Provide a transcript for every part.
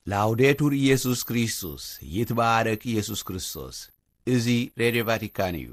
ላውዴቱር ኢየሱስ ክርስቶስ፣ ይትባረክ ኢየሱስ ክርስቶስ። እዚ ሬድዮ ቫቲካን እዩ።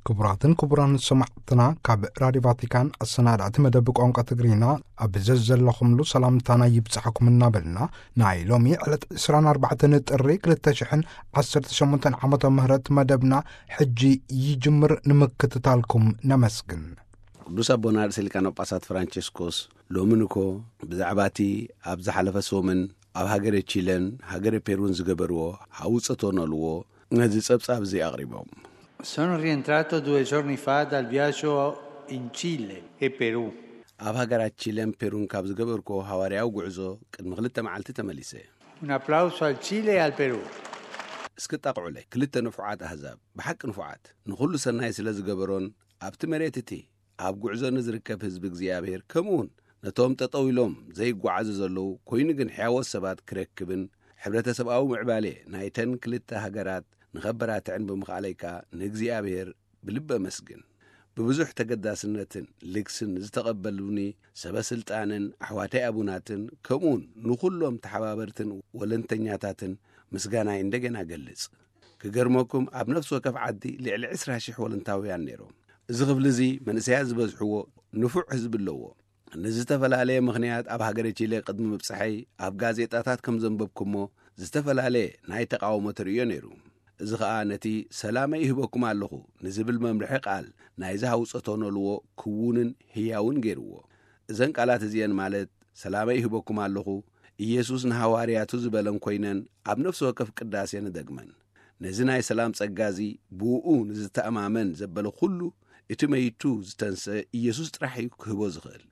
ክቡራትን ክቡራን ሰማዕትና፣ ካብ ራዲዮ ቫቲካን ኣሰናዳእቲ መደብ ቋንቋ ትግርኛ ኣብ ዘዘለኹምሉ ሰላምታና ይብጻሕኩም እናበልና፣ ናይ ሎሚ ዕለት ዕስራን ኣርባዕተን ጥሪ ክልተ ሽሕን ዓሰርተ ሸሞንተን ዓመተ ምህረት መደብና ሕጂ ይጅምር። ንምክትታልኩም ነመስግን። ቅዱስ ኣቦና ርእሰ ሊቃነ ጳጳሳት ፍራንቸስኮስ ሎሚ ንኮ ብዛዕባ እቲ ኣብ ዝሓለፈ ሰሙን ኣብ ሃገረ ቺለን ሃገረ ፔሩን ዝገበርዎ ሃውጸቶ ነልዎ ነዚ ጸብጻብ እዚ ኣቕሪቦም። Sono rientrato due giorni fa dal viaggio in Cile e Perù. ኣብ ሃገራት ቺለን ፔሩን ካብ ዝገበርኮ ሃዋርያዊ ጉዕዞ ቅድሚ ክልተ መዓልቲ ተመሊሰ። Un applauso al Cile e al Perù. እስኪ ጣቕዑለይ፣ ክልተ ንፉዓት ኣህዛብ፣ ብሓቂ ንፉዓት፣ ንኹሉ ሰናይ ስለ ዝገበሮን ኣብቲ መሬት እቲ ኣብ ጉዕዞ ንዝርከብ ህዝቢ እግዚኣብሔር፣ ከምኡውን ነቶም ጠጠው ኢሎም ዘይጓዓዙ ዘለዉ፣ ኮይኑ ግን ሕያዎት ሰባት ክረክብን ሕብረተሰብኣዊ ምዕባሌ ናይተን ክልተ ሃገራት ንኸበራትዕን ብምኽኣለይ ከኣ ንእግዚኣብሔር ብልቢ ኣመስግን። ብብዙሕ ተገዳስነትን ልግስን ዝተቐበሉኒ ሰበ ስልጣንን ኣሕዋተይ ኣቡናትን፣ ከምኡውን ንኹሎም ተሓባበርትን ወለንተኛታትን ምስጋናይ እንደገና ገልጽ። ክገርመኩም፣ ኣብ ነፍሲ ወከፍ ዓዲ ልዕሊ ዕስራ ሽሕ ወለንታውያን ነይሮም። እዚ ክፍሊ እዚ መንእሰያት ዝበዝሕዎ ንፉዕ ህዝቢ ኣለዎ። ንዝተፈላለየ ምኽንያት ኣብ ሃገረ ቺለ ቅድሚ ምብጻሐይ ኣብ ጋዜጣታት ከም ዘንበብኩሞ ዝተፈላለየ ናይ ተቓውሞ ተርእዮ ነይሩ። እዚ ኸኣ ነቲ "ሰላመይ ይህበኩም ኣለኹ" ንዝብል መምርሒ ቃል ናይዚ ሃውጸቶ ነልዎ ክዉንን ህያውን ገይርዎ። እዘን ቃላት እዚአን ማለት "ሰላመይ ይህበኩም ኣለኹ" ኢየሱስ ንሃዋርያቱ ዝበለን ኮይነን ኣብ ነፍሲ ወከፍ ቅዳሴ ንደግመን። ነዚ ናይ ሰላም ጸጋ እዚ ብእኡ ንዝተኣማመን ዘበለ ኩሉ እቲ መይቱ ዝተንስአ ኢየሱስ ጥራሕ እዩ ክህቦ ዝኽእል።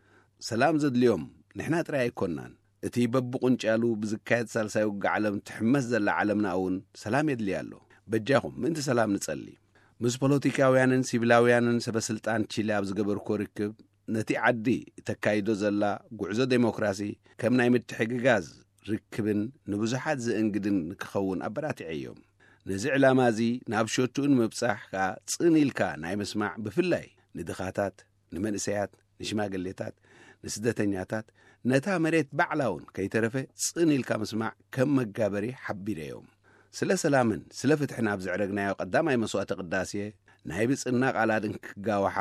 ሰላም ዘድልዮም ንሕና ጥራይ ኣይኮንናን። እቲ በብቁንጫሉ ብዝካየድ ሳልሳይ ውግእ ዓለም ትሕመስ ዘላ ዓለምና እውን ሰላም የድልያ ኣሎ። በጃኹም ምእንቲ ሰላም ንጸሊ። ምስ ፖለቲካውያንን ሲቪላውያንን ሰበ ስልጣን ቺሊ ኣብ ዝገበርኩዎ ርክብ፣ ነቲ ዓዲ እተካይዶ ዘላ ጉዕዞ ዴሞክራሲ ከም ናይ ምትሕግጋዝ ርክብን ንብዙሓት ዘእንግድን ንክኸውን ኣበራቲዐዮም። ነዚ ዕላማ እዚ ናብ ሸቱኡ ንምብጻሕ ከኣ ጽን ኢልካ ናይ ምስማዕ፣ ብፍላይ ንድኻታት፣ ንመንእሰያት፣ ንሽማግሌታት፣ ንስደተኛታት፣ ነታ መሬት ባዕላ እውን ከይተረፈ ጽን ኢልካ ምስማዕ ከም መጋበሪ ሓቢረዮም። ስለ ሰላምን ስለ ፍትሕን ኣብ ዘዕረግናዮ ቀዳማይ መስዋዕተ ቅዳሴ፣ ናይ ብጽና ቃላት እንክጋውሓ፣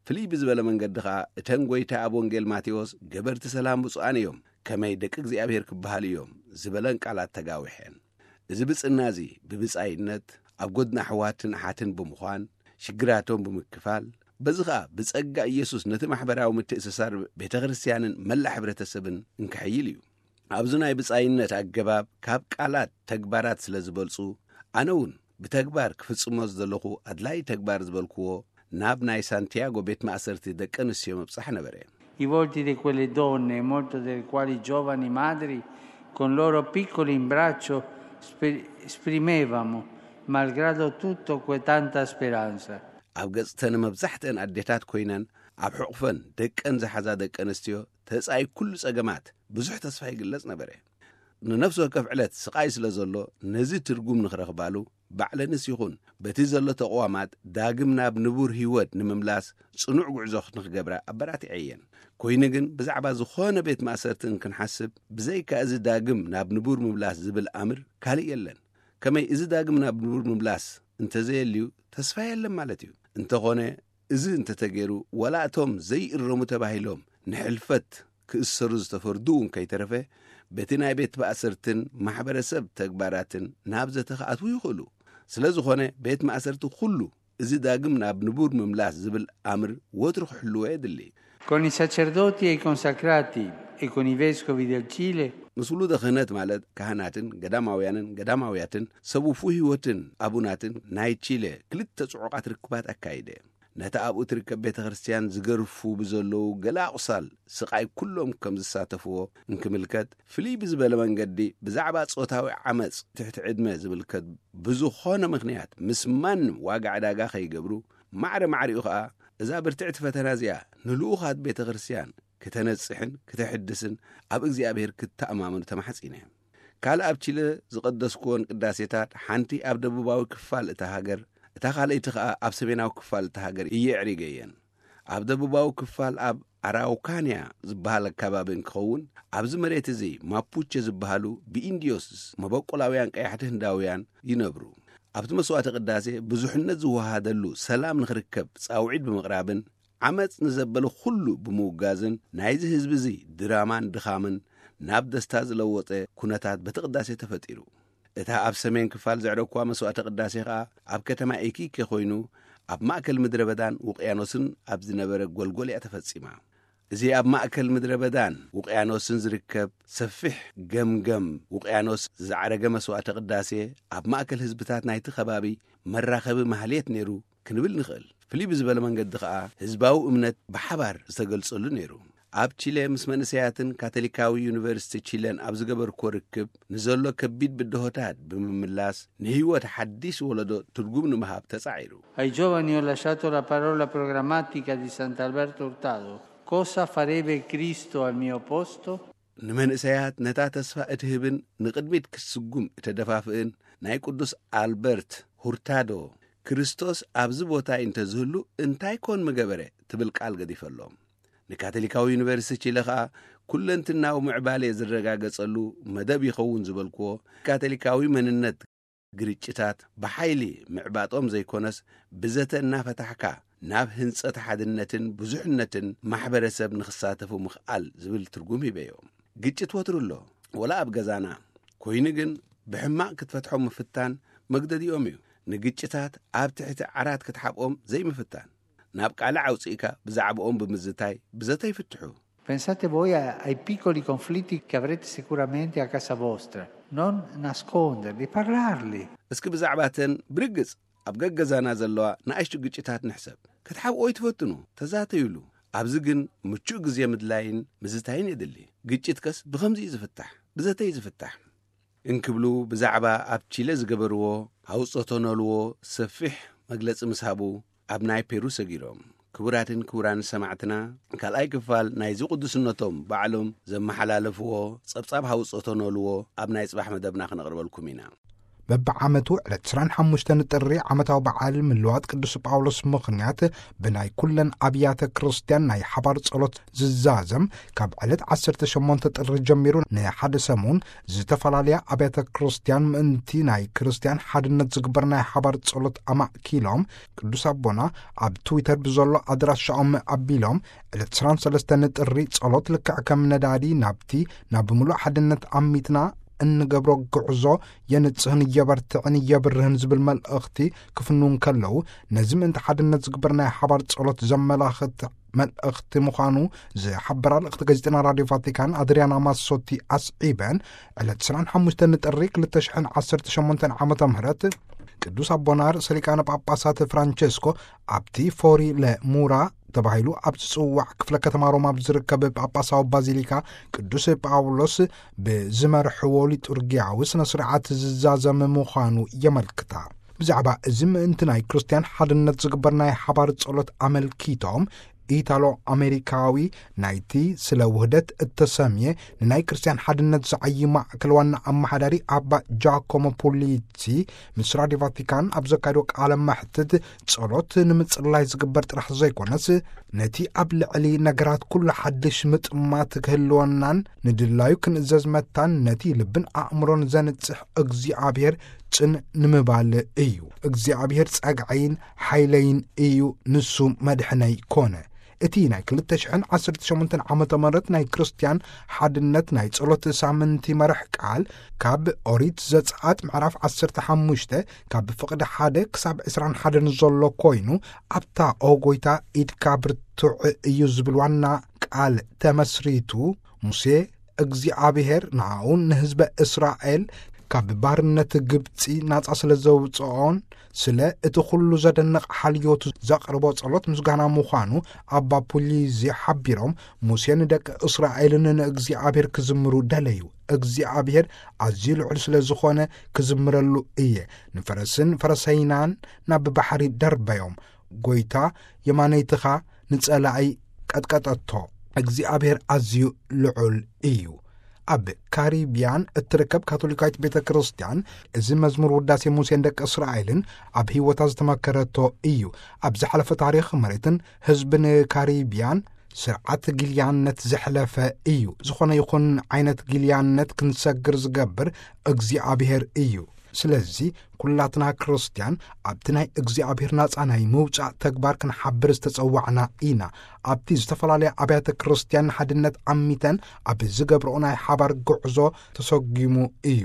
ፍልይ ብዝበለ መንገዲ ኸኣ እተን ጐይታ ኣብ ወንጌል ማቴዎስ "ገበርቲ ሰላም ብፁዓን እዮም፣ ከመይ ደቂ እግዚኣብሔር ክበሃሉ እዮም" ዝበለን ቃላት ተጋዊሐን። እዚ ብጽና እዚ ብብጻይነት ኣብ ጐድኒ ኣሕዋትን ኣሓትን ብምዃን ሽግራቶም ብምክፋል፣ በዚ ኸኣ ብጸጋ ኢየሱስ ነቲ ማሕበራዊ ምትእስሳር ቤተ ክርስቲያንን መላእ ሕብረተሰብን እንክሕይል እዩ። ኣብዚ ናይ ብጻይነት ኣገባብ ካብ ቃላት ተግባራት ስለ ዝበልጹ፣ ኣነ እውን ብተግባር ክፍጽሞ ዝደለኹ ኣድላዪ ተግባር ዝበልክዎ ናብ ናይ ሳንቲያጎ ቤት ማእሰርቲ ደቂ ኣንስትዮ ምብጻሕ ነበረ። I volti di quelle donne, molte delle quali giovani madri, con loro piccoli in braccio, spe-, esprimevamo, malgrado tutto, que-, tanta speranza. ኣብ ገጽተን መብዛሕትአን ኣዴታት ኮይነን ኣብ ሕቑፈን ደቀን ዝሓዛ ደቂ ኣንስትዮ ተጻይ ኩሉ ጸገማት ብዙሕ ተስፋ ይግለጽ ነበረ። ንነፍሲ ወከፍ ዕለት ስቓይ ስለ ዘሎ፣ ነዚ ትርጉም ንኽረኽባሉ ባዕለንስ ይኹን በቲ ዘሎ ተቕዋማት ዳግም ናብ ንቡር ህይወት ንምምላስ ጽኑዕ ጉዕዞ ንኽገብራ ኣበራቲዐየን። ኮይኑ ግን ብዛዕባ ዝኾነ ቤት ማእሰርቲ እንክንሓስብ፣ ብዘይካ እዚ ዳግም ናብ ንቡር ምምላስ ዝብል ኣምር ካልእ የለን። ከመይ እዚ ዳግም ናብ ንቡር ምምላስ እንተዘየልዩ ተስፋ የለን ማለት እዩ። እንተኾነ እዚ እንተተገይሩ፣ ዋላ እቶም ዘይእረሙ ተባሂሎም ንሕልፈት ክእሰሩ ዝተፈርዱ እውን ከይተረፈ፣ በቲ ናይ ቤት ማእሰርትን ማሕበረሰብ ተግባራትን ናብ ዘተ ክኣትዉ ይኽእሉ። ስለ ዝኾነ፣ ቤት ማእሰርቲ ኩሉ እዚ ዳግም ናብ ንቡር ምምላስ ዝብል ኣምር ወትሩ ክሕልዎ የድሊ። Con i sacerdoti e i consacrati e con i vescovi del Cile. ምስ ውሉደ ክህነት ማለት ካህናትን ገዳማውያንን ገዳማውያትን ሰብ ውፉይ ህይወትን ኣቡናትን ናይ ቺለ ክልተ ጽዑቓት ርክባት ኣካይደ። ነቲ ኣብኡ ትርከብ ቤተ ክርስቲያን ዝገርፉ ብዘለዉ ገለ ኣቑሳል ስቓይ ኩሎም ከም ዝሳተፍዎ እንክምልከት፣ ፍልይ ብዝበለ መንገዲ ብዛዕባ ጾታዊ ዓመጽ ትሕቲ ዕድመ ዝምልከት ብዝኾነ ምኽንያት ምስ ማንም ዋጋ ዕዳጋ ከይገብሩ፣ ማዕረ ማዕሪኡ ኸኣ እዛ ብርትዕቲ ፈተና እዚኣ ንልኡኻት ቤተ ክርስቲያን ክተነጽሕን ክተሕድስን ኣብ እግዚኣብሔር ክተኣማመኑ ተማሕጺነ። ካልእ ኣብ ቺለ ዝቐደስክወን ቅዳሴታት ሓንቲ ኣብ ደቡባዊ ክፋል እታ ሃገር፣ እታ ካልኣይቲ ኸኣ ኣብ ሰሜናዊ ክፋል እታ ሃገር እየ ኣዕሪገየን። ኣብ ደቡባዊ ክፋል ኣብ ኣራውካንያ ዝበሃል ኣከባቢ እንክኸውን፣ ኣብዚ መሬት እዚ ማፑቸ ዝበሃሉ ብኢንዲዮስ መበቆላውያን ቀያሕቲ ህንዳውያን ይነብሩ። ኣብቲ መስዋዕተ ቅዳሴ ብዙሕነት ዝወሃደሉ ሰላም ንኽርከብ ጻውዒት ብምቕራብን ዓመጽ ንዘበለ ኩሉ ብምውጋዝን ናይዚ ህዝቢ እዚ ድራማን ድኻምን ናብ ደስታ ዝለወጠ ኩነታት በቲ ቅዳሴ ተፈጢሩ። እታ ኣብ ሰሜን ክፋል ዘዕረግኳ መስዋዕተ ቅዳሴ ኸኣ ኣብ ከተማ ኤኪኬ ኮይኑ ኣብ ማእከል ምድረ በዳን ውቅያኖስን ኣብ ዝነበረ ጎልጎል እያ ተፈጺማ። እዚ ኣብ ማእከል ምድረ በዳን ውቅያኖስን ዝርከብ ሰፊሕ ገምገም ውቅያኖስ ዝዓረገ መስዋዕተ ቅዳሴ ኣብ ማእከል ህዝብታት ናይቲ ከባቢ መራኸቢ ማህሌት ነይሩ ክንብል ንኽእል። ፍልይ ብዝበለ መንገዲ ኸኣ ህዝባዊ እምነት ብሓባር ዝተገልጸሉ ነይሩ። ኣብ ቺለ ምስ መንእሰያትን ካቶሊካዊ ዩኒቨርሲቲ ቺለን ኣብ ዝገበርኮ ርክብ ንዘሎ ከቢድ ብድሆታት ብምምላስ ንህይወት ሓዲስ ወለዶ ትርጉም ንምሃብ ተጻዒሩ። Ai giovani ho lasciato la parola programmatica di Sant'Alberto Hurtado. Cosa farebbe Cristo al mio posto? ንመንእሰያት ነታ ተስፋ እትህብን ንቕድሚት ክትስጉም እተደፋፍእን ናይ ቅዱስ ኣልበርት ሁርታዶ፣ ክርስቶስ ኣብዚ ቦታይ እንተዝህሉ እንታይ ኮን ምገበረ ትብል ቃል ገዲፈሎም። ንካቶሊካዊ ዩኒቨርሲቲ ቺለ ኸኣ ኩለንትናዊ ምዕባሌ ዝረጋገጸሉ መደብ ይኸውን ዝበልክዎ፣ ካቶሊካዊ መንነት ግርጭታት ብሓይሊ ምዕባጦም ዘይኮነስ፣ ብዘተ እናፈታሕካ ናብ ህንጸት ሓድነትን ብዙሕነትን ማሕበረሰብ ንኽሳተፉ ምኽኣል ዝብል ትርጉም ሂበዮ። ግጭት ወትሩ ኣሎ፣ ወላ ኣብ ገዛና ኮይኑ ግን ብሕማቕ ክትፈትሖም ምፍታን መግደዲኦም እዩ። ንግጭታት ኣብ ትሕቲ ዓራት ክትሓብኦም ዘይምፍታን፣ ናብ ቃልዕ ኣውጺእካ ብዛዕባኦም ብምዝታይ ብዘተ ይፍትሑ። Pensate voi a- ai piccoli conflitti che avrete sicuramente a casa vostra. Non nasconderli, parlarli. እስኪ ብዛዕባተን ብርግጽ ኣብ ገገዛና ዘለዋ ንኣሽቱ ግጭታት ንሕሰብ። ክትሓብኦ ይትፈትኑ፣ ተዛተዩሉ። ኣብዚ ግን ምቹእ ግዜ ምድላይን ምዝታይን የድሊ። ግጭትከስ ብኸምዚ እዩ ዝፍታሕ፣ ብዘተ እዩ ዝፍታሕ። እንክብሉ ብዛዕባ ኣብ ቺለ ዝገበርዎ ሃውጾቶ ነልዎ ሰፊሕ መግለጺ ምስ ሃቡ ኣብ ናይ ፔሩ ሰጊሮም። ክቡራትን ክቡራን ሰማዕትና፣ ካልኣይ ክፋል ናይዚ ቅዱስነቶም ባዕሎም ዘመሓላለፍዎ ጸብጻብ ሃውጾቶ ነልዎ ኣብ ናይ ጽባሕ መደብና ክነቕርበልኩም ኢና። በብዓመቱ ዕለት ዕስራን ሓሙሽተን ጥሪ ዓመታዊ በዓል ምልዋጥ ቅዱስ ጳውሎስ ምኽንያት ብናይ ኩለን ኣብያተ ክርስቲያን ናይ ሓባር ጸሎት ዝዛዘም ካብ ዕለት ዓሰርተ ሸሞንተ ጥሪ ጀሚሩ ንሓደ ሰሙን ዝተፈላለያ ኣብያተ ክርስቲያን ምእንቲ ናይ ክርስቲያን ሓድነት ዝግበር ናይ ሓባር ጸሎት ኣማእኪሎም ቅዱስ ኣቦና ኣብ ትዊተር ብዘሎ ኣድራሻኦም ኣቢሎም ዕለት ዕስራን ሰለስተን ጥሪ ጸሎት ልክዕ ከም ነዳዲ ናብቲ ናብ ምሉእ ሓድነት ኣሚትና እንገብሮ ጉዕዞ የንጽህን የበርትዕን የብርህን ዝብል መልእኽቲ ክፍንው እንከለዉ፣ ነዚ ምእንቲ ሓድነት ዝግበር ናይ ሓባር ጸሎት ዘመላኽት መልእኽቲ ምዃኑ ዝሓበራ ልእኽቲ ጋዜጠና ራድዮ ቫቲካን ኣድሪያና ማሶቲ ኣስዒበን፣ ዕለት ዕስራን ሓሙሽተን ጥሪ ክልተ ሽሕን ዓሰርተ ሸሞንተን ዓመተ ምህረት ቅዱስ ኣቦና ርእሰ ሊቃነ ጳጳሳት ፍራንቸስኮ ኣብቲ ፎሪ ለሙራ ተባሂሉ ኣብ ዝጽዋዕ ክፍለ ከተማ ሮማ ኣብ ዝርከብ ጳጳሳዊ ባዚሊካ ቅዱስ ጳውሎስ ብዝመርሕዎ ሊጡርጊያዊ ስነ ስርዓት ዝዛዘም ምዃኑ የመልክታ። ብዛዕባ እዚ ምእንቲ ናይ ክርስትያን ሓድነት ዝግበር ናይ ሓባር ጸሎት ኣመልኪቶም፣ ኢታሎ ኣሜሪካዊ ናይቲ ስለ ውህደት እተሰምየ ንናይ ክርስትያን ሓድነት ዝዓዪ ማእከል ዋና ኣመሓዳሪ ኣባ ጃኮሞ ፑሊቲ ምስ ራድዮ ቫቲካን ኣብ ዘካየዶ ቃለ መሕትት፣ ጸሎት ንምጽላይ ዝግበር ጥራሕ ዘይኮነስ፣ ነቲ ኣብ ልዕሊ ነገራት ኩሉ ሓድሽ ምጥማት ክህልወናን ንድላዩ ክንእዘዝ መታን ነቲ ልብን ኣእምሮን ዘንጽሕ እግዚኣብሔር ጽን ንምባል እዩ። እግዚኣብሔር ጸግዐይን ሓይለይን እዩ፣ ንሱ መድሕነይ ኮነ። እቲ ናይ ክልተ ሽሕን ዓሰርተ ሸሞንተን ዓመተ ምህረት ናይ ክርስትያን ሓድነት ናይ ጸሎት ሳምንቲ መርሕ ቃል፣ ካብ ኦሪት ዘጸኣት ምዕራፍ ዓሰርተ ሓሙሽተ ካብ ፍቕዲ ሓደ ክሳብ ዕስራን ሓደን ዘሎ ኮይኑ፣ ኣብታ ኦ ጎይታ ኢድካ ብርቱዕ እዩ ዝብል ዋና ቃል ተመስሪቱ፣ ሙሴ እግዚኣብሔር ንኣኡን ንህዝበ እስራኤል ካብ ባርነት ግብፂ ናፃ ስለ ዘውፅኦን ስለ እቲ ኩሉ ዘደንቕ ሓልዮቱ ዘቕርቦ ጸሎት ምስጋና ምዃኑ ኣባ ፑሊዚ ሓቢሮም፣ ሙሴ ንደቂ እስራኤልን ንእግዚኣብሔር ክዝምሩ ደለዩ። እግዚኣብሔር ኣዝዩ ልዑል ስለ ዝኾነ ክዝምረሉ እየ። ንፈረስን ፈረሰይናን ናብ ባሕሪ ደርበዮም። ጎይታ የማነይትኻ ንጸላኢ ቀጥቀጠቶ። እግዚኣብሔር ኣዝዩ ልዑል እዩ። ኣብ ካሪብያን እትርከብ ካቶሊካዊት ቤተ ክርስቲያን፣ እዚ መዝሙር ውዳሴ ሙሴን ደቂ እስራኤልን ኣብ ህይወታ ዝተመከረቶ እዩ። ኣብ ዝሓለፈ ታሪኽ መሬትን ህዝብን ካሪብያን ስርዓት ጊልያነት ዘሕለፈ እዩ። ዝኾነ ይኹን ዓይነት ጊልያነት ክንሰግር ዝገብር እግዚኣብሔር እዩ። ስለዚ ኩላትና ክርስቲያን ኣብቲ ናይ እግዚኣብሔር ናጻ ናይ ምውጻእ ተግባር ክንሓብር ዝተጸዋዕና ኢና። ኣብቲ ዝተፈላለያ ኣብያተ ክርስቲያን ንሓድነት ዓሚተን ኣብ ዝገብርኦ ናይ ሓባር ጉዕዞ ተሰጒሙ እዩ።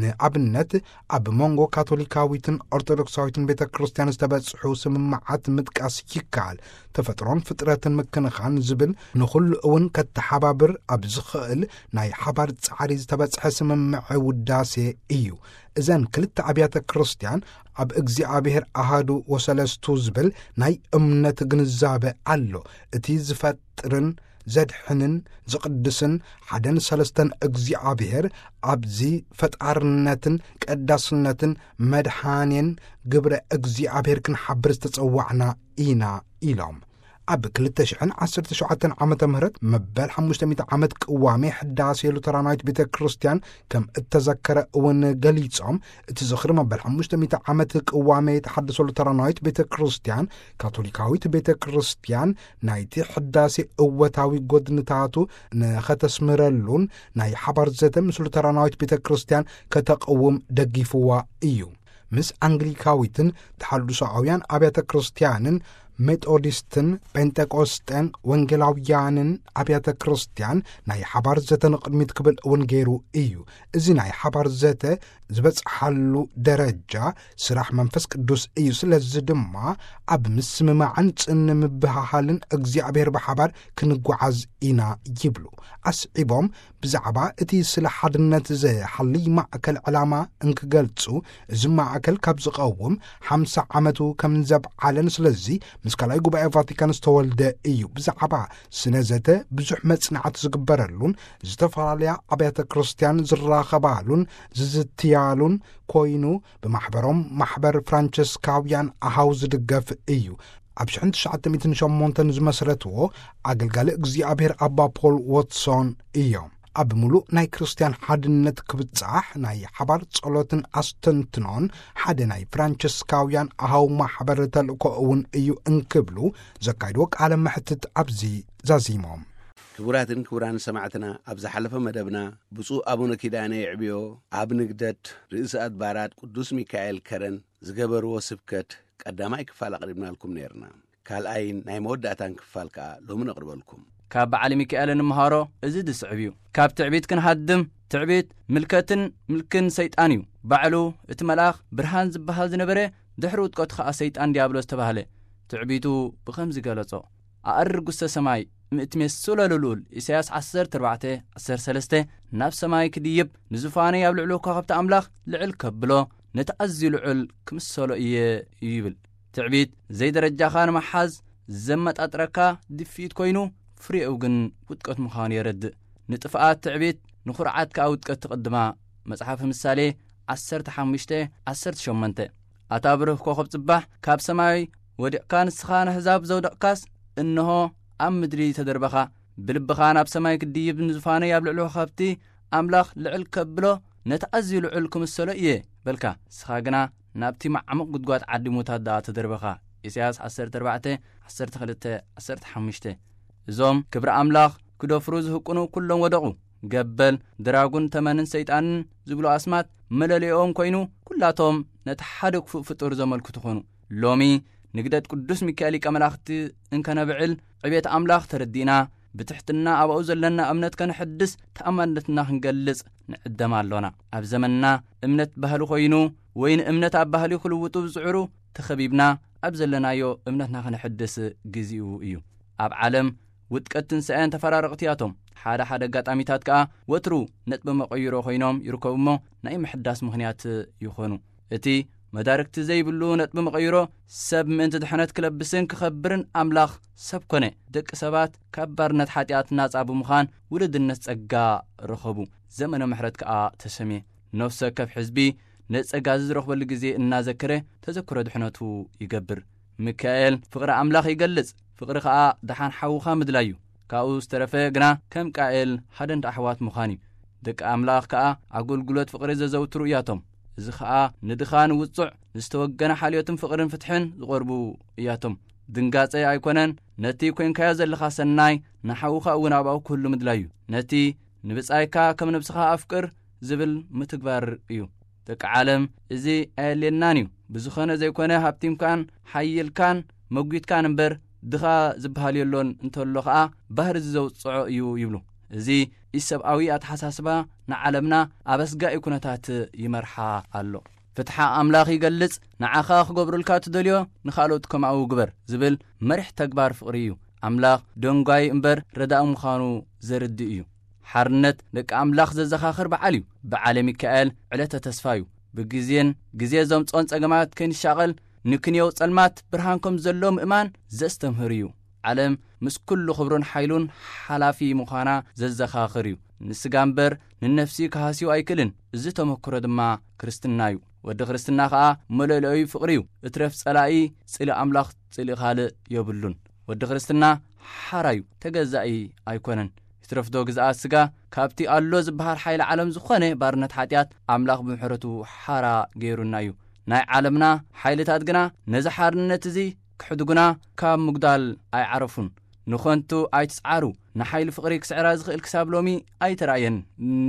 ንኣብነት፣ ኣብ መንጎ ካቶሊካዊትን ኦርቶዶክሳዊትን ቤተ ክርስቲያን ዝተበጽሑ ስምምዓት ምጥቃስ ይከኣል። ተፈጥሮን ፍጥረትን ምክንኻን ዝብል ንኹሉ እውን ከተሓባብር ኣብ ዝኽእል ናይ ሓባር ጻዕሪ ዝተበጽሐ ስምምዐ ውዳሴ እዩ። እዘን ክልተ ኣብያተ ክርስቲያን ኣብ እግዚኣብሔር ኣሃዱ ወሰለስቱ ዝብል ናይ እምነት ግንዛበ ኣሎ። እቲ ዝፈጥርን ዘድሕንን ዝቕድስን ሓደን ሰለስተን እግዚኣብሔር ኣብዚ ፈጣርነትን ቀዳስነትን መድሓኔን ግብረ እግዚኣብሔር ክንሓብር ዝተጸዋዕና ኢና ኢሎም። ኣብ ክልተ ሽሕን ዓሰርተ ሸውዓተን ዓመተ ምህረት መበል ሓሙሽተ ሚእቲ ዓመት ቅዋሜ ሕዳሴ ሉተራናዊት ቤተ ክርስቲያን ከም እተዘከረ እውን ገሊጾም፣ እቲ ዝኽሪ መበል ሓሙሽተ ሚእቲ ዓመት ቅዋሜ ተሓድሶ ሉተራናዊት ቤተ ክርስቲያን፣ ካቶሊካዊት ቤተ ክርስቲያን ናይቲ ሕዳሴ እወታዊ ጎድንታቱ ንኸተስምረሉን ናይ ሓባር ዘተ ምስ ሉተራናዊት ቤተ ክርስቲያን ከተቕውም ደጊፍዋ እዩ። ምስ ኣንግሊካዊትን ተሓድሶኣውያን ኣብያተ ክርስቲያንን ሜቶዲስትን ጴንጠቆስጤን ወንጌላውያንን ኣብያተ ክርስቲያን ናይ ሓባር ዘተ ንቕድሚት ክብል እውን ገይሩ እዩ። እዚ ናይ ሓባር ዘተ ዝበጽሓሉ ደረጃ ስራሕ መንፈስ ቅዱስ እዩ። ስለዚ ድማ ኣብ ምስምማዕን ጽን ምብህሃልን እግዚኣብሔር ብሓባር ክንጓዓዝ ኢና ይብሉ። ኣስዒቦም ብዛዕባ እቲ ስለ ሓድነት ዝሓልይ ማእከል ዕላማ እንክገልጹ፣ እዚ ማእከል ካብ ዝቐውም ሓምሳ ዓመቱ ከም ዘብዓለን፣ ስለዚ ምስ ካልኣይ ጉባኤ ቫቲካን ዝተወልደ እዩ። ብዛዕባ ስነ ዘተ ብዙሕ መጽናዕቲ ዝግበረሉን ዝተፈላለያ ኣብያተ ክርስቲያን ዝራኸባሉን ዝዝትያሉን ኮይኑ፣ ብማሕበሮም ማሕበር ፍራንቸስካውያን ኣሃው ዝድገፍ እዩ። ኣብ ሽሕን ትሽዓተ ሚእትን ሸሞንተን ዝመስረትዎ ኣገልጋሊ እግዚኣብሔር ኣባ ፖል ዎትሶን እዮም። ኣብ ምሉእ ናይ ክርስትያን ሓድነት ክብጻሕ ናይ ሓባር ጸሎትን ኣስተንትኖን ሓደ ናይ ፍራንቸስካውያን ኣሃው ማሕበር ተልእኮ እውን እዩ እንክብሉ ዘካይድዎ ቃለ መሕትት ኣብዚ ዛዚሞም። ክቡራትን ክቡራን ሰማዕትና፣ ኣብ ዝሓለፈ መደብና ብፁዕ ኣቡነ ኪዳነ የዕብዮ ኣብ ንግደት ርእሰ ኣድባራት ቅዱስ ሚካኤል ከረን ዝገበርዎ ስብከት ቀዳማይ ክፋል ኣቕሪብናልኩም ነይርና። ካልኣይን ናይ መወዳእታን ክፋል ከኣ ሎሚ ነቕርበልኩም። ካብ በዓል ሚካኤል እንምሃሮ እዚ ዝስዕብ እዩ። ካብ ትዕቢት ክንሃድም፣ ትዕቢት ምልከትን ምልክን ሰይጣን እዩ። ባዕሉ እቲ መልኣኽ ብርሃን ዝበሃል ዝነበረ፣ ድሕሪ ውድቀቱ ኸኣ ሰይጣን ዲያብሎስ ተባህለ። ትዕቢቱ ብኸምዚ ገለጾ፣ ኣእርግ ውስተ ሰማይ ምእትሜስሎ ልልኡል፣ ኢሳያስ ዓሰርተ ኣርባዕተ ዓሰርተ ሰለስተ፣ ናብ ሰማይ ክድይብ፣ ንዙፋነይ ኣብ ልዕሊ ኮኸብቲ ኣምላኽ ልዕል ከብሎ፣ ነቲ ኣዝዩ ልዑል ክምሰሎ እየ እዩ ይብል። ትዕቢት ዘይደረጃኻ ንምሓዝ ዘመጣጥረካ ድፍኢት ኮይኑ፣ ፍሬኡ ግን ውድቀት ምዃኑ የረድእ። ንጥፍኣት ትዕቢት፣ ንኹርዓት ከኣ ውድቀት ትቕድማ። መጽሓፍ ምሳሌ ዓሰርተ ሓሙሽተ ዓሰርተ ሸሞንተ። ኣታ ብሩህ ኮኸብ ጽባሕ፣ ካብ ሰማይ ወዲቕካ ንስኻ ንኣህዛብ ዘውደቕካስ፣ እንሆ ኣብ ምድሪ ተደርበኻ። ብልብኻ ናብ ሰማይ ክድይብ ንዙፋነይ ኣብ ልዕሊ ኮኸብቲ ኣምላኽ ልዕል ከብሎ፣ ነቲ ኣዝዩ ልዑል ክምሰሎ እየ በልካ። ንስኻ ግና ናብቲ መዓሙቕ ጉድጓድ ዓዲ ሙታት ደኣ ተደርበኻ። ኢሳያስ ዓሰርተ ኣርባዕተ ዓሰርተ ክልተ ዓሰርተ ሓሙሽተ። እዞም ክብሪ ኣምላኽ ክደፍሩ ዝህቅኑ ኩሎም ወደቑ። ገበል፣ ድራጉን ተመንን ሰይጣንን ዝብሉ ኣስማት መለለይኦም ኮይኑ፣ ኩላቶም ነቲ ሓደ ክፉእ ፍጡር ዘመልክቱ ኾኑ። ሎሚ ንግደት ቅዱስ ሚካኤል ሊቀ መላእኽቲ እንከነብዕል፣ ዕቤት ኣምላኽ ተረዲእና፣ ብትሕትና ኣብኡ ዘለና እምነት ከነሐድስ፣ ተኣማንነትና ክንገልጽ ንዕደም ኣሎና። ኣብ ዘመንና እምነት ባህሊ ኮይኑ፣ ወይ ንእምነት ኣብ ባህሊ ክልውጡ ዝጽዕሩ ተኸቢብና ኣብ ዘለናዮ እምነትና ከነሐድስ ግዚኡ እዩ። ኣብ ዓለም ውድቀት ትንሳኤን ተፈራረቕቲ እያቶም። ሓደ ሓደ ኣጋጣሚታት ከኣ ወትሩ ነጥቢ መቐይሮ ኮይኖም ይርከቡ እሞ ናይ ምሕዳስ ምኽንያት ይኾኑ። እቲ መዳርግቲ ዘይብሉ ነጥቢ መቐይሮ ሰብ ምእንቲ ድሕነት ክለብስን ክኸብርን ኣምላኽ ሰብ ኮነ። ደቂ ሰባት ካብ ባርነት ሓጢኣት ናጻ ብምዃን ውልድነት ጸጋ ረኸቡ። ዘመነ ምሕረት ከኣ ተሰምየ። ነፍሲ ወከፍ ሕዝቢ ነጸጋ እዚ ዝረኽበሉ ግዜ እናዘከረ ተዘክሮ ድሕነቱ ይገብር። ሚካኤል ፍቕሪ ኣምላኽ ይገልጽ። ፍቕሪ ከኣ ደሓን ሓውኻ ምድላዩ። ካብኡ ዝተረፈ ግና ከም ቃኤል ሃደንዳ ኣሕዋት ምዃን እዩ። ደቂ ኣምላኽ ከኣ ኣገልግሎት ፍቕሪ ዘዘውትሩ እያቶም። እዚ ኸኣ ንድኻ ንውጹዕ ንዝተወገነ ሓልዮትን ፍቕርን ፍትሕን ዝቐርቡ እያቶም። ድንጋጸ ኣይኮነን፣ ነቲ ኮንካዮ ዘለኻ ሰናይ ንሓውኻ እውን ኣብኡ ክህሉ ምድላዩ። ነቲ ንብጻይካ ከም ነብስኻ ኣፍቅር ዝብል ምትግባር እዩ። ደቂ ዓለም እዚ ኣየልየናን እዩ። ብዝኾነ ዘይኮነ ሃብቲምካን ሓይልካን መጒትካን እምበር ድኻ ዝበሃል የሎን እንተሎ ኸኣ ባህሪ እዚ ዘውጽዖ እዩ ይብሉ። እዚ ኢሰብኣዊ ኣተሓሳስባ ንዓለምና ኣብ ኣስጋኢ ኩነታት ይመርሓ ኣሎ። ፍትሓ ኣምላኽ ይገልጽ፣ ንዓኻ ክገብሩልካ ትደልዮ ንኻልኦት ከምኣኡ ግበር ዝብል መሪሕ ተግባር ፍቕሪ እዩ። ኣምላኽ ደንጓይ እምበር ረዳኢ ምዃኑ ዘርድእ እዩ። ሓርነት ደቂ ኣምላኽ ዘዘኻኽር በዓል እዩ። በዓለ ሚካኤል ዕለተ ተስፋ እዩ። ብግዜን ግዜ ዘምጾን ጸገማት ከይንሻቐል ንክንየው ጸልማት ብርሃን ከም ዘሎ ምእማን ዘስተምህር እዩ። ዓለም ምስ ኩሉ ክብሩን ሓይሉን ሓላፊ ምዃና ዘዘኻኽር እዩ። ንስጋ እምበር ንነፍሲ ክሃስዩ ኣይክእልን። እዚ ተመክሮ ድማ ክርስትና እዩ። ወዲ ክርስትና ኸኣ መለለዩ ፍቕሪ እዩ። እትረፍ ጸላኢ ጽልኢ ኣምላኽ ጽልኢ ካልእ የብሉን። ወዲ ክርስትና ሓራ እዩ፣ ተገዛኢ ኣይኮነን። ይትረፍዶ ግዝኣት ስጋ ካብቲ ኣሎ ዝበሃል ሓይሊ ዓለም ዝኾነ ባርነት ሓጢኣት ኣምላኽ ብምሕረቱ ሓራ ገይሩና እዩ። ናይ ዓለምና ሓይልታት ግና ነዚ ሓርነት እዚ ክሕድጉና ካብ ምጉዳል ኣይዓረፉን። ንኾንቱ ኣይትጽዓሩ፣ ንሓይሊ ፍቕሪ ክስዕራ ዝኽእል ክሳብ ሎሚ ኣይተራእየን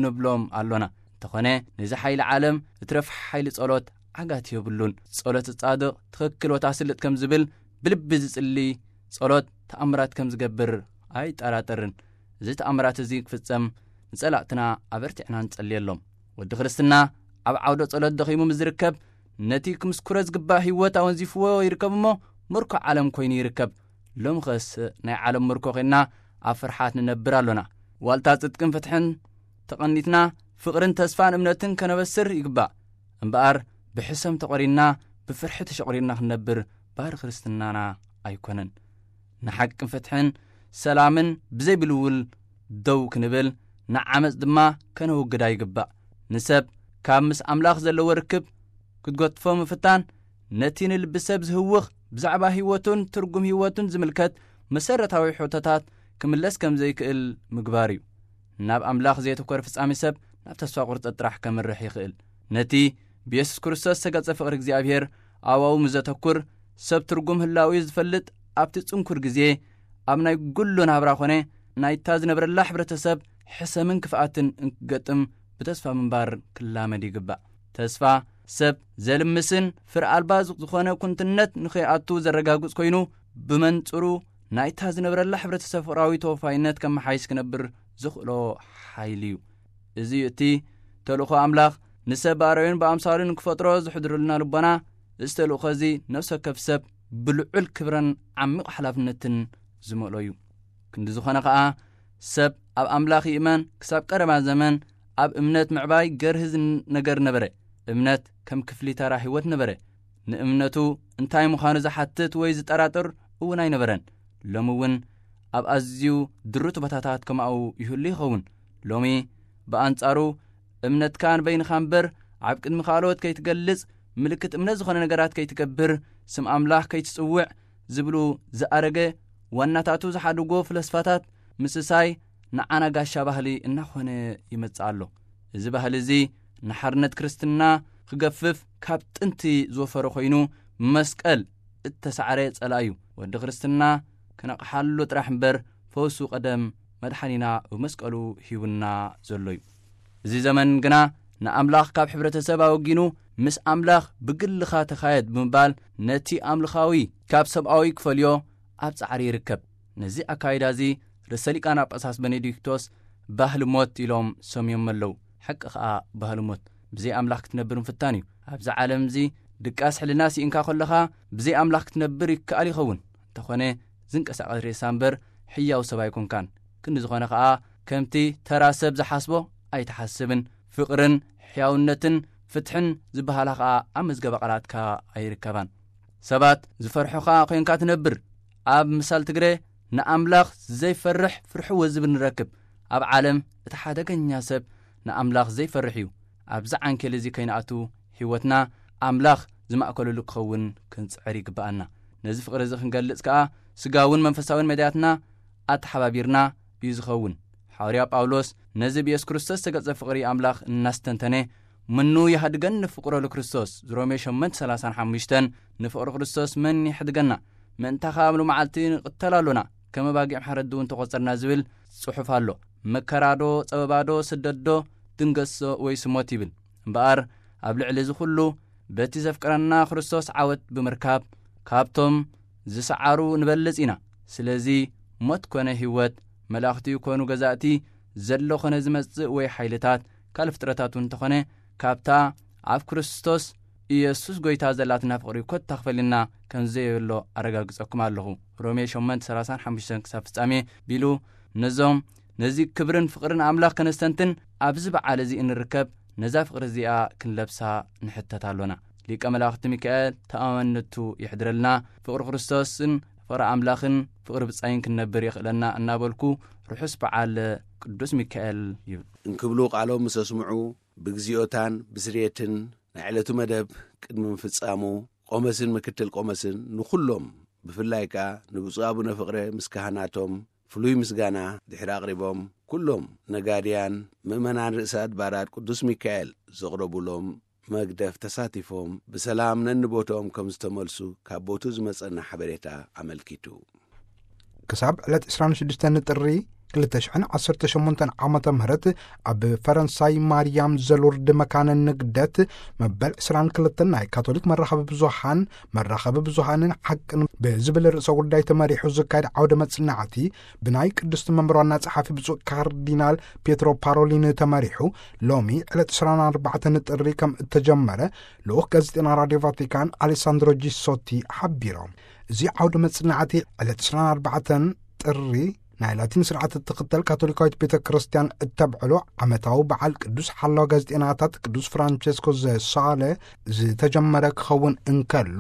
ንብሎም ኣሎና። እንተኾነ ነዚ ሓይሊ ዓለም እትረፍ ሓይሊ ጸሎት ዓጋት የብሉን። ጸሎት ጻድቕ ትኽክል ወታስልጥ ከም ዝብል ብልቢ ዝጽሊ ጸሎት ተኣምራት ከም ዝገብር ኣይጠራጠርን። እዚ ተኣምራት እዚ ክፍጸም ንጸላእትና ኣበርቲዕና ንጸልየሎም። ወዲ ክርስትና ኣብ ዓውደ ጸሎት ደኺሙ ምስ ዝርከብ ነቲ ክምስኩሮ ዝግባእ ህይወት ኣወንዚፍዎ ይርከብ እሞ ምርኮ ዓለም ኮይኑ ይርከብ። ሎምኸስ ናይ ዓለም ምርኮ ኮይንና ኣብ ፍርሓት ንነብር ኣሎና። ዋልታ ጽድቅን ፍትሕን ተቐኒትና ፍቕርን ተስፋን እምነትን ከነበስር ይግባእ። እምበኣር ብሕሰም ተቖሪንና ብፍርሒ ተሸቑሪርና ክንነብር ባህሪ ክርስትናና ኣይኮነን። ንሓቅን ፍትሕን ሰላምን ብዘይ ብልውል ደው ክንብል ንዓመጽ ድማ ከነወግዳ ይግባእ። ንሰብ ካብ ምስ ኣምላኽ ዘለዎ ርክብ ክትጎትፎ ምፍታን ነቲ ንልቢ ሰብ ዝህውኽ ብዛዕባ ህይወቱን ትርጉም ህይወቱን ዝምልከት መሰረታዊ ሕቶታት ክምለስ ከም ዘይክእል ምግባር እዩ። ናብ ኣምላኽ ዘየተኮረ ፍጻሜ ሰብ ናብ ተስፋ ቁርጸት ጥራሕ ከምርሕ ይኽእል። ነቲ ብየሱስ ክርስቶስ ዝተገልጸ ፍቕሪ እግዚኣብሔር ኣብኡ ምስ ዘተኩር ሰብ ትርጉም ህላዊ ዝፈልጥ ኣብቲ ጽንኩር ግዜ ኣብ ናይ ጉሉ ናብራ ኮነ ናይታ ዝነብረላ ሕብረተሰብ ሕሰምን ክፍኣትን እንክገጥም ብተስፋ ምንባር ክላመድ ይግባእ። ተስፋ ሰብ ዘልምስን ፍር ኣልባ ዝኾነ ኩንትነት ንኸይኣቱ ዘረጋግጽ ኮይኑ ብመንጽሩ ናይታ ዝነብረላ ሕብረተሰብ ፍቕራዊ ተወፋይነት ከመሓይሽ ክነብር ዝኽእሎ ሓይሊ እዩ። እዚ እቲ ተልእኾ ኣምላኽ ንሰብ ብኣርኣዩን ብኣምሳሉን ክፈጥሮ ዝሕድሩልና ልቦና፣ እዚ ተልእኾ እዚ ነፍሲ ወከፍ ሰብ ብልዑል ክብረን ዓሚቕ ሓላፍነትን ዝመልኦ እዩ። ክንዲ ዝኾነ ኸኣ ሰብ ኣብ ኣምላኽ ይእመን ክሳብ ቀረባ ዘመን ኣብ እምነት ምዕባይ ገርህዝ ነገር ነበረ። እምነት ከም ክፍሊ ተራ ህይወት ነበረ። ንእምነቱ እንታይ ምዃኑ ዝሓትት ወይ ዝጠራጥር እውን ኣይነበረን። ሎሚ እውን ኣብ ኣዝዩ ድሩት ቦታታት ከማኡ ይህሉ ይኸውን። ሎሚ ብኣንጻሩ እምነትካ ንበይንኻ እምበር ኣብ ቅድሚ ካልኦት ከይትገልጽ፣ ምልክት እምነት ዝኾነ ነገራት ከይትገብር፣ ስም ኣምላኽ ከይትጽውዕ ዝብሉ ዝኣረገ ዋናታቱ ዝሓድጎ ፍለስፋታት ምስሳይ ንዓና ጋሻ ባህሊ እናኾነ ይመጽእ ኣሎ። እዚ ባህሊ እዚ ንሓርነት ክርስትና ክገፍፍ ካብ ጥንቲ ዝወፈረ ኮይኑ መስቀል እተሳዕረ ጸላኢ እዩ። ወዲ ክርስትና ክነቕሓሉ ጥራሕ እምበር ፈውሱ ቀደም መድሓኒና ብመስቀሉ ሂቡና ዘሎ እዩ። እዚ ዘመን ግና ንኣምላኽ ካብ ሕብረተሰብ ኣወጊኑ ምስ ኣምላኽ ብግልኻ ተኻየድ ብምባል ነቲ ኣምልኻዊ ካብ ሰብኣዊ ክፈልዮ ኣብ ጻዕሪ ይርከብ። ነዚ ኣካይዳ እዚ ርእሰ ሊቃነ ጳጳሳት በኔዲክቶስ ባህሊ ሞት ኢሎም ሰምዮም ኣለዉ። ሓቂ ኸኣ ባህሊ ሞት ብዘይ ኣምላኽ ክትነብር ምፍታን እዩ። ኣብዚ ዓለም እዚ ድቃስ ሕልና ስኢንካ ከለኻ ብዘይ ኣምላኽ ክትነብር ይከኣል ይኸውን። እንተኾነ ዝንቀሳቐስ ሬሳ እምበር ሕያው ሰብ ኣይኮንካን። ክንዲ ዝኾነ ኸኣ ከምቲ ተራ ሰብ ዝሓስቦ ኣይትሓስብን። ፍቕርን ሕያውነትን ፍትሕን ዝበሃላ ኸኣ ኣብ መዝገበ ቃላትካ ኣይርከባን። ሰባት ዝፈርሑኻ ኾይንካ ትነብር። ኣብ ምሳል ትግረ ንኣምላኽ ዘይፈርሕ ፍርሕዎ ዝብል ንረክብ። ኣብ ዓለም እቲ ሓደገኛ ሰብ ንኣምላኽ ዘይፈርሕ እዩ። ኣብዚ ዓንኬል እዚ ከይንኣቱ ህይወትና ኣምላኽ ዝማእከለሉ ክኸውን ክንጽዕር ይግብኣና። ነዚ ፍቕሪ እዚ ክንገልጽ ከኣ ስጋውን መንፈሳውን መዳያትና ኣተሓባቢርና እዩ ዝኸውን። ሓዋርያ ጳውሎስ ነዚ ብየሱስ ክርስቶስ ዝተገልጸ ፍቕሪ ኣምላኽ እናስተንተነ፣ "ምኑ የህድገኒ ፍቕሮ ለክርስቶስ?" ሮሜ ሸሞንተ ሰላሳን ሓሙሽተን፣ ንፍቕሪ ክርስቶስ መን ይሕድገና? ምእንታኻ ኣብ ሎመዓልቲ ንቕተል ኣሎና፣ ከም ኣባጊዕ ማሕረዲ እውን ተቖጸርና ዝብል ጽሑፍ ኣሎ። መከራዶ፣ ጸበባዶ፣ ስደትዶ፣ ድንገሶ ወይስ ሞት ይብል። እምበኣር ኣብ ልዕሊ እዚ ኩሉ በቲ ዘፍቅረና ክርስቶስ ዓወት ብምርካብ ካብቶም ዝሰዓሩ ንበልጽ ኢና። ስለዚ ሞት ኮነ ህይወት፣ መላእኽቲ ይኮኑ ገዛእቲ፣ ዘሎ ኮነ ዝመጽእ ወይ ሓይልታት፣ ካልእ ፍጥረታት እውን እንተኾነ፣ ካብታ ኣብ ክርስቶስ ኢየሱስ ጐይታ ዘላትና ፍቕሪ ኮታ ክፈልና ከም ዘየሎ ኣረጋግጸኩም ኣለኹ። ሮሜ ሸሞንተ ሰላሳን ሓሙሽተን ክሳብ ፍጻሜ ቢሉ ነዞም ነዚ ክብርን ፍቕርን ኣምላኽ ከነስተንትን ኣብዚ በዓል እዚ እንርከብ ነዛ ፍቕሪ እዚኣ ክንለብሳ ንሕተት ኣሎና። ሊቀ መላእኽቲ ሚካኤል ተኣማንነቱ ይሕድረልና። ፍቕሪ ክርስቶስን ፍቕሪ ኣምላኽን ፍቕሪ ብጻይን ክንነብር የኽእለና እናበልኩ ርሑስ በዓል ቅዱስ ሚካኤል ይብል። እንክብሉ ቃሎም ምስ ኣስምዑ ብግዚኦታን ብስርየትን ናይ ዕለቱ መደብ ቅድሚ ምፍጻሙ ቆሞስን ምክትል ቆሞስን ንኹሎም ብፍላይ ከኣ ንብፁዕ ኣቡነ ፍቕረ ምስ ካህናቶም ፍሉይ ምስጋና ድሕሪ ኣቕሪቦም፣ ኩሎም ነጋድያን ምእመናን ርእሰ ኣድባራት ቅዱስ ሚካኤል ዘቕረቡሎም መግደፍ ተሳቲፎም ብሰላም ነንቦትኦም ከም ዝተመልሱ ካብ ቦትኡ ዝመጸና ሓበሬታ ኣመልኪቱ። ክሳብ ዕለት ዕስራን ሽዱሽተን ጥሪ ክልተ ሽሕን ዓሰርተ ሸሞንተን ዓመተ ምህረት ኣብ ፈረንሳይ ማርያም ዘሉርድ መካነ ንግደት መበል ዕስራን ክልተን ናይ ካቶሊክ መራኸቢ ብዙሃን መራኸቢ ብዙሃንን ሓቅን ብዝብል ርእሰ ጉዳይ ተመሪሑ ዝካየድ ዓውደ መጽናዕቲ ብናይ ቅድስቲ መንበር ዋና ጸሓፊ ብፁዕ ካርዲናል ፔትሮ ፓሮሊን ተመሪሑ ሎሚ ዕለት ዕስራን ኣርባዕተን ጥሪ ከም እተጀመረ ልኡኽ ጋዜጠና ራድዮ ቫቲካን ኣሌሳንድሮ ጂሶቲ ሓቢሮም። እዚ ዓውደ መጽናዕቲ ዕለት ዕስራን ኣርባዕተን ጥሪ ናይ ላቲን ስርዓት እትኽተል ካቶሊካዊት ቤተ ክርስቲያን እተብዕሎ ዓመታዊ በዓል ቅዱስ ሓላው ጋዜጠናታት ቅዱስ ፍራንቸስኮ ዘሳለ ዝተጀመረ ክኸውን እንከሎ፣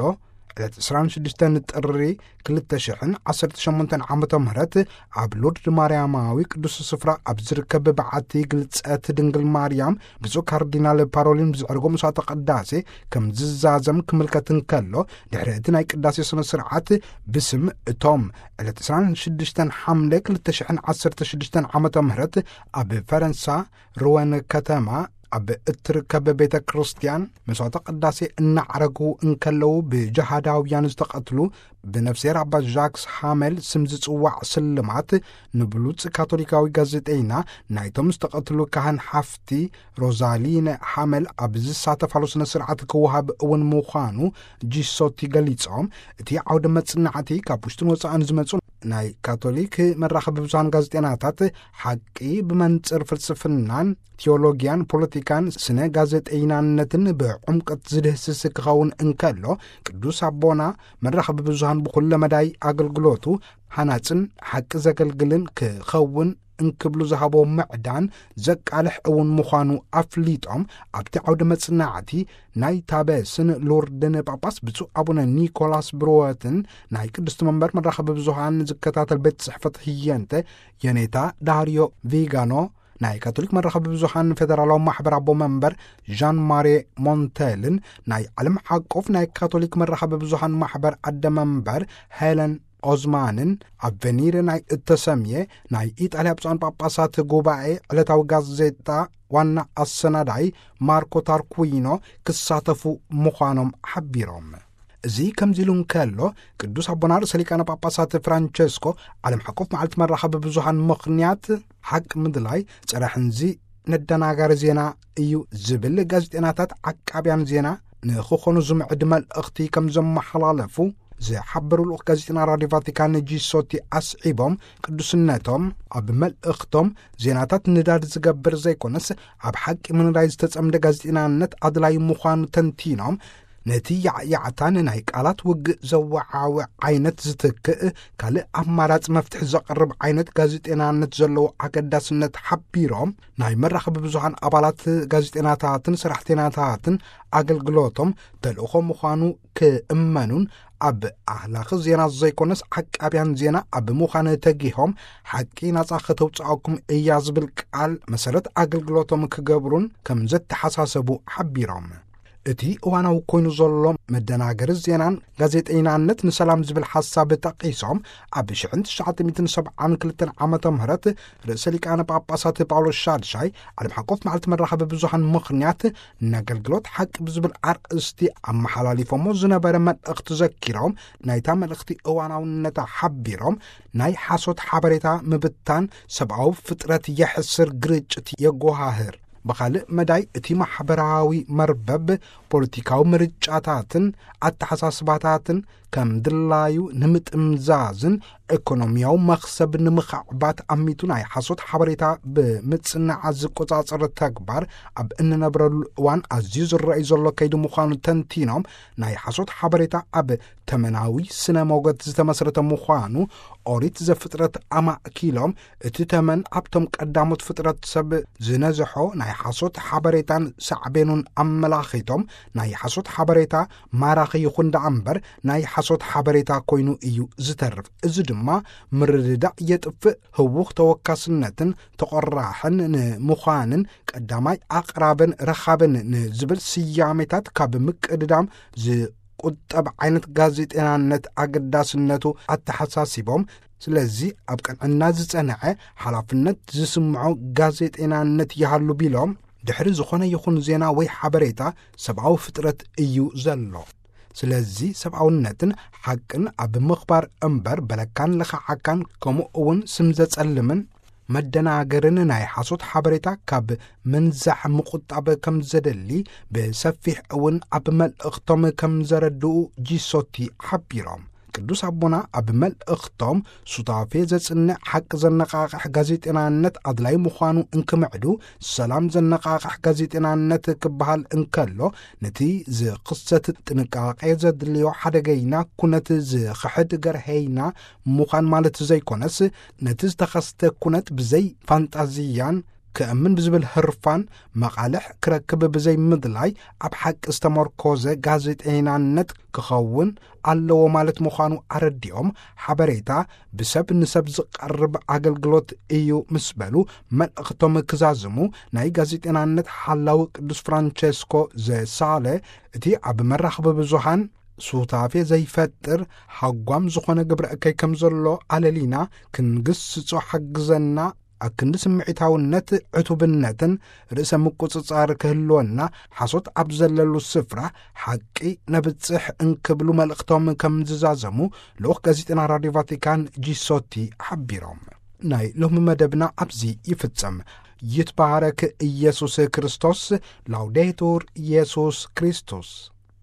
ዕለት ዕስራን ሽዱሽተን ጥሪ ክልተ ሽሕን ዓሰርተ ሸሞንተን ዓመተ ምህረት ኣብ ሎርድ ማርያማዊ ቅዱስ ስፍራ ኣብ ዝርከብ በዓቲ ግልጸት ድንግል ማርያም ብፁዕ ካርዲናል ፓሮሊን ብዘዕርጎ መስዋዕተ ቅዳሴ ከም ዝዛዘም ክምልከት እንከሎ፣ ድሕሪ እቲ ናይ ቅዳሴ ስነ ስርዓት ብስም እቶም ዕለት ዕስራን ሽዱሽተን ሓምለ ክልተ ሽሕን ዓሰርተ ሽዱሽተን ዓመተ ምህረት ኣብ ፈረንሳ ሩወን ከተማ ኣብ እትርከብ ቤተ ክርስቲያን መስዋዕተ ቅዳሴ እናዕረጉ እንከለዉ ብጀሃዳውያን ዝተቐትሉ ብነፍስሔር ኣባ ጃክስ ሃመል ስም ዝጽዋዕ ስልማት ንብሉጽ ካቶሊካዊ ጋዜጠይና ናይቶም ዝተቐትሉ ካህን ሓፍቲ ሮዛሊነ ሃመል ኣብ ዝሳተፋሉ ስነ ስርዓት ክወሃብ እውን ምዃኑ ጂሶቲ ገሊጾም። እቲ ዓውደ መጽናዕቲ ካብ ውሽጥን ወጻእን ዝመጹ ናይ ካቶሊክ መራኸቢ ብዙሃን ጋዜጠናታት ሓቂ ብመንጽር ፍልስፍናን ቴዎሎጊያን ፖለቲካን ስነ ጋዜጠይናነትን ብዕምቀት ዝድህስስ ክኸውን እንከሎ፣ ቅዱስ ኣቦና መራኸቢ ብዙሃን ብኹለ መዳይ ኣገልግሎቱ ሃናጽን ሓቂ ዘገልግልን ክኸውን እንክብሉ ዝሃቦ ምዕዳን ዘቃልሕ እውን ምዃኑ ኣፍሊጦም፣ ኣብቲ ዓውደ መጽናዕቲ ናይ ታበስን ሎርድን ጳጳስ ብፁዕ ኣቡነ ኒኮላስ ብሩወትን ናይ ቅድስቲ መንበር መራኸቢ ብዙሃን ዝከታተል ቤት ጽሕፈት ህየንተ የኔታ ዳርዮ ቪጋኖ፣ ናይ ካቶሊክ መራኸቢ ብዙሃን ፌደራላዊ ማሕበር ኣቦ መንበር ዣን ማሬ ሞንቴልን ናይ ዓለም ሓቆፍ ናይ ካቶሊክ መራኸቢ ብዙሃን ማሕበር ኣደ መንበር ሄለን ኦዝማንን ኣብ ቬኒር ናይ እተሰምየ ናይ ኢጣልያ ብፁዓን ጳጳሳት ጉባኤ ዕለታዊ ጋዜጣ ዋና ኣሰናዳይ ማርኮ ታርኩዊኖ ክሳተፉ ምዃኖም ሓቢሮም። እዚ ከምዚ ኢሉ እንከሎ፣ ቅዱስ ኣቦና ርእሰ ሊቃነ ጳጳሳት ፍራንቸስኮ ዓለም ሓቆፍ መዓልቲ መራኸቢ ብዙሃን ምኽንያት ሓቂ ምድላይ ጸረ ሕንዚ ነደናጋሪ ዜና እዩ ዝብል ጋዜጠናታት ዓቃብያን ዜና ንኽኾኑ ዝምዕድ መልእኽቲ ከም ዘመሓላለፉ ዝሓበሩ ልኡኽ ጋዜጠና ራድዮ ቫቲካን ጂሶቲ ኣስዒቦም፣ ቅዱስነቶም ኣብ መልእኽቶም ዜናታት ንዳድ ዝገብር ዘይኮነስ ኣብ ሓቂ ምንዳይ ዝተጸምደ ጋዜጠናነት ኣድላይ ምዃኑ ተንቲኖም፣ ነቲ ያዕያዕታን ናይ ቃላት ውግእ ዘወዓውዕ ዓይነት ዝትክእ ካልእ ኣማራጺ መፍትሒ ዘቕርብ ዓይነት ጋዜጠናነት ዘለዎ ኣገዳስነት ሓቢሮም፣ ናይ መራኸቢ ብዙሃን ኣባላት ጋዜጠናታትን ሰራሕተኛታትን ኣገልግሎቶም ተልእኾ ምዃኑ ክእመኑን፣ ኣብ ኣህላኺ ዜና ዘይኮነስ ዓቃብያን ዜና ኣብ ምዃን ተጊሆም፣ ሓቂ ናጻ ከተውጽኣኩም እያ ዝብል ቃል መሰረት ኣገልግሎቶም ክገብሩን ከም ዘተሓሳሰቡ ሓቢሮም። እቲ እዋናዊ ኮይኑ ዘሎ መደናገሪ ዜናን ጋዜጠይናነት ንሰላም ዝብል ሓሳብ ጠቒሶም፣ ኣብ ሽሕን ትሽዓተ ሚእትን ሰብዓን ክልተን ዓመተ ምህረት ርእሰ ሊቃነ ጳጳሳት ጳውሎስ ሻድሻይ ዓለም ሓቆፍ መዓልቲ መራኸቢ ብዙሃን ምኽንያት፣ ንኣገልግሎት ሓቂ ብዝብል ኣርእስቲ ኣመሓላሊፎሞ ዝነበረ መልእኽቲ ዘኪሮም፣ ናይታ መልእኽቲ እዋናውነታ ሓቢሮም፣ ናይ ሓሶት ሓበሬታ ምብታን ሰብኣዊ ፍጥረት የሕስር፣ ግርጭት የጎሃህር። ብኻልእ መዳይ፣ እቲ ማሕበራዊ መርበብ ፖለቲካዊ ምርጫታትን ኣተሓሳስባታትን ከም ድላዩ ንምጥምዛዝን ኢኮኖሚያዊ መኽሰብ ንምኽዕባት ኣሚቱ ናይ ሓሶት ሓበሬታ ብምጽናዕ ዝቆጻጸር ተግባር ኣብ እንነብረሉ እዋን ኣዝዩ ዝረኣይ ዘሎ ከይዲ ምዃኑ ተንቲኖም፣ ናይ ሓሶት ሓበሬታ ኣብ ተመናዊ ስነ ሞገት ዝተመስረተ ምዃኑ ኦሪት ዘፍጥረት ኣማእኪሎም፣ እቲ ተመን ኣብቶም ቀዳሞት ፍጥረት ሰብ ዝነዝሖ ናይ ሓሶት ሓበሬታን ሳዕቤኑን ኣመላኺቶም፣ ናይ ሓሶት ሓበሬታ ማራኺ ይኹን ደኣ እምበር ናይ ሓሶት ሓበሬታ ኮይኑ እዩ ዝተርፍ። እዚ ድማ ምርድዳእ የጥፍእ፣ ህዉኽ ተወካስነትን ተቖራሕን ንምዃንን ቀዳማይ ኣቕራብን ረኻብን ንዝብል ስያሜታት ካብ ምቅድዳም ዝቁጠብ ዓይነት ጋዜጠናነት ኣገዳስነቱ ኣተሓሳሲቦም፣ ስለዚ ኣብ ቅንዕና ዝጸንዐ ሓላፍነት ዝስምዖ ጋዜጠናነት ይሃሉ ቢሎም፣ ድሕሪ ዝኾነ ይኹን ዜና ወይ ሓበሬታ ሰብኣዊ ፍጥረት እዩ ዘሎ። ስለዚ ሰብኣውነትን ሓቅን ኣብ ምኽባር እምበር በለካን ለኻዓካን ከምኡ እውን ስም ዘጸልምን መደናገርን ናይ ሓሶት ሓበሬታ ካብ ምንዛሕ ምቁጣብ ከም ዘደሊ ብሰፊሕ እውን ኣብ መልእኽቶም ከም ዘረድኡ ጂሶቲ ሓቢሮም። ቅዱስ ኣቦና ኣብ መልእኽቶም ሱታፌ ዘጽንዕ ሓቂ ዘነቓቕሕ ጋዜጠናነት ኣድላይ ምዃኑ እንክምዕዱ፣ ሰላም ዘነቓቕሕ ጋዜጠናነት ክበሃል እንከሎ፣ ነቲ ዝኽሰት ጥንቃቄ ዘድልዮ ሓደገይና ኩነት ዝኽሕድ ገርሀይና ምዃን ማለት ዘይኮነስ፣ ነቲ ዝተኸስተ ኩነት ብዘይ ፋንጣዝያን ክእምን ብዝብል ህርፋን መቓልሕ ክረክብ ብዘይ ምድላይ፣ ኣብ ሓቂ ዝተመርኮዘ ጋዜጠይናነት ክኸውን ኣለዎ ማለት ምዃኑ ኣረዲኦም፣ ሓበሬታ ብሰብ ንሰብ ዝቐርብ ኣገልግሎት እዩ ምስ በሉ፣ መልእኽቶም ክዛዝሙ፣ ናይ ጋዜጠናነት ሓላዊ ቅዱስ ፍራንቸስኮ ዘሳለ፣ እቲ ኣብ መራኽቢ ብዙሃን ሱታፌ ዘይፈጥር ሃጓም ዝኾነ ግብረ እከይ ከም ዘሎ ኣለሊና ክንግስጾ ሓግዘና፣ ኣክንዲ ስምዒታውነት፣ ዕቱብነትን ርእሰ ምቁጽጻር ክህልወና፣ ሓሶት ኣብ ዘለሉ ስፍራ ሓቂ ነብጽሕ እንክብሉ መልእኽቶም ከም ዝዛዘሙ ልኡኽ ጋዜጠና ራድዮ ቫቲካን ጂሶቲ ሓቢሮም። ናይ ሎሚ መደብና ኣብዚ ይፍጸም። ይትባረክ ኢየሱስ ክርስቶስ። ላውዴቱር ኢየሱስ ክርስቶስ።